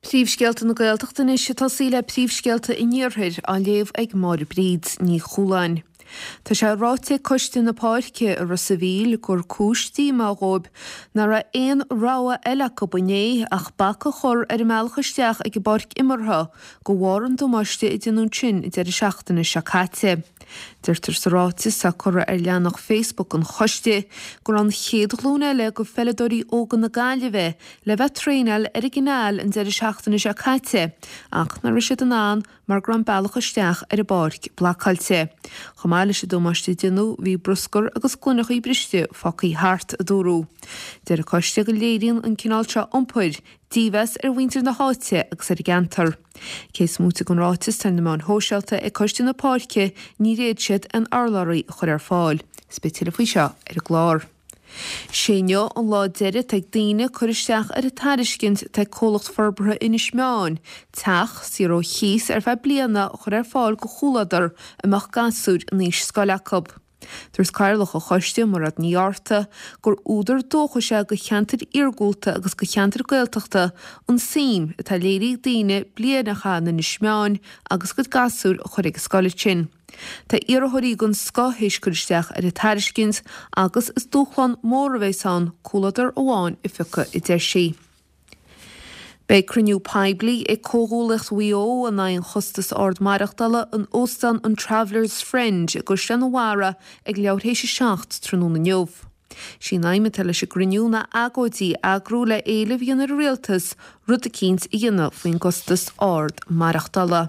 Príomhscéalta na Gaeltachta anois ag tosaí le príomhscéalta an Iarthair á léamh ag Máire Bríd Ní Chualáin. Tá sé ráite ag Coiste na Páirce i Ros a' Mhíl gur cúis díomá dhóibh nach raibh aon rogha eile acu inné ach bac a chur ar an mbealach isteach ag an bpáirc imeartha de bharr an damáiste a déanadh ansin an deireadh seachtaine seo caite. Deirtear sa ráiteas atá curtha ar leathanach Facebook an choiste go raibh an chéad ghlúin eile de pheileadóirí óga na Gaillimhe le bheith ag traenáil ar an gCineál an deireadh seachtaine seo caite ach nach raibh siad in ann mar go raibh an bealach isteach ar an bpáirc blocáilte. Chomh maith leis an damáiste a déanadh bhí bruscar agus gloineachaí briste fágtha thart, a dúradh. Deir an coiste go léiríonn an cineál seo iompair dímheas ar mhuintir na háite agus ar an gceantar. Cé is móite den ráiteas atá ar na meáin shóisialta ag Coiste na Páirce níor fhéad siad aon urlabhraí a chur ar fáil. Is beidh tuilleadh faoi seo ar an gclár. Sé inniu an lá deiridh atá ag daoine cur isteach ar an tairiscint atá ag Comhlacht Forbartha Inis Meáin teach saor ó chíos ar feadh bliana a chur ar fáil go chomhluadar a mbeadh gasúir in aois scoile acu. Dúirt Cathaoirleach an Choiste, Mairéad Ní Fhátharta, gur údar dóchais é go cheantair iargúlta agus go cheantair Gaeltachta an suim atá léirithe ag daoine bliain a chaitheamh in Inis Meáin agus a gcuid gasúir a chur ag an scoil ansin. Tá iarrthóirí den scoth théis cur isteach ar an tairiscint agus is dúshlán mór a bheas ann comhluadar amháin a phiocadh, a deir sí. Beidh cruinniú poiblí ag Comhghuallaíocht Mhaigh Eo in aghaidh an chostas ard maireachtála in Óstán an Travellers Friend i gCaisleán an Bharraigh ag leathuair théis 7 tráthnóna inniu. Sí an aidhm atá leis an gcruinniú ná agóidí a eagrú le éileamh a dhéanamh ar an Rialtas rud eicínt a dhéanamh faoin gcostas ard maireachtála.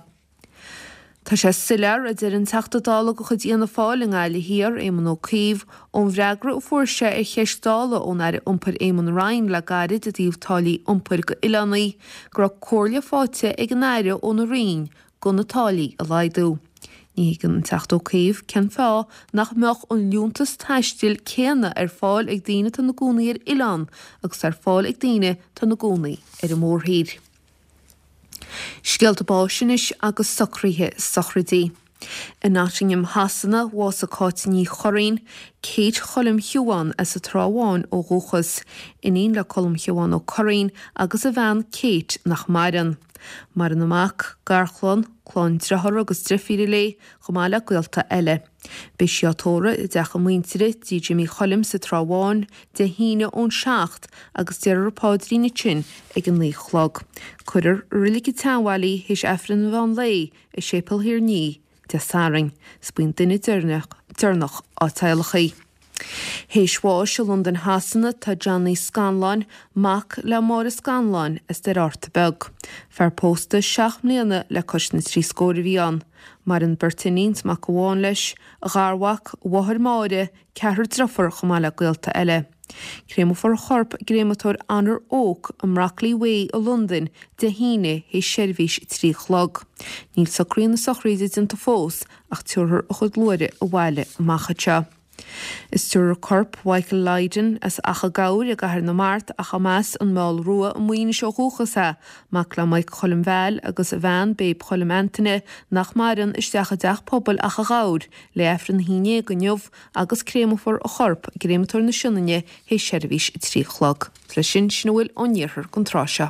Tá sé soiléir, a deir an Teachta Dála de chuid Fhianna Fáil i nGaillimh Thiar, Éamon Ó Cuív, ón bhfreagra a fuair sé ar cheist Dála ón Aire Iompair Eamon Ryan le gairid i dtaobh táillí iompair go oileánaí, go raibh comhairle faighte ag an Aire óna Roinn go na táillí a laghdú. Ní thuigeann an Teachta Ó Cuív cén fáth nach mbeadh an liúntas taistil céanna ar fáil ag daoine atá ina gcónaí ar oileán agus atá ar fáil ag daoine atá ina gcónaí ar an mórthír. Scéalta báis anois agus socruithe sochraidí. I Nottingham Shasana, bhásaigh Cáit Ní Churraoin, Kate Choilm Shiubhán as an Trá Bháin ó dhúchas, iníon le Colm Shiubhán Ó Curraoin agus a bhean Kate nach maireann. Maireann a mac, garchlann, clann driothár agus drifíre léi, chomh maith le gaolta eile. Beidh sí á tórramh i dteach a muintire, Tí Jimmy Choilm sa Trá Bháin, Dé hAoine ón 7 agus déarfar an paidrín ansin ag an 9 a chlog. Cuirfear i Reilig an tSeanbhaile í théis Aifreann an mheán lae i Séipéal Thír an Fhia Dé Sathairn. Is buí an duine deireanach á tíolacadh. Théis bháis i Londain Shasana tá Johnny Scanláin, mac le Máire Scanláin as Doire Fhatharta Beag. Fear pósta seacht mbliana le cois na dtrí scór a bhí ann. Maireann beirt iníon 's mac amháin leis, a gharmhac, a mháthair Máire, ceathrar driofar chomh maith le gaolta eile. Créamfar a chorp i gcréamatóir Honor Oak i mBrockley Way i Londain Dé hAoine théis seirbhís a 3 a chlog. Níl socruithe na sochraide déanta fós ach tabharfar a chuid luaithre abhaile amach anseo. Is tabharfar corp Mhichael Lydon as Achadh Gabhair i gCathair na Mart ach as an Meall Rua i Muínis ó dhúchas é, mac le Mike Choilm Val agus a bhean Babe Choilm Antaine nach maireann, isteach i dTeach Pobail Achadh Ghabhair le Aifreann a haon déag inniu agus créamfar a chorp i gCréamatóir na Sionainne théis seirbhís a 3 a chlog. Leis sin, sin a bhfuil ón iarthar don tráth seo.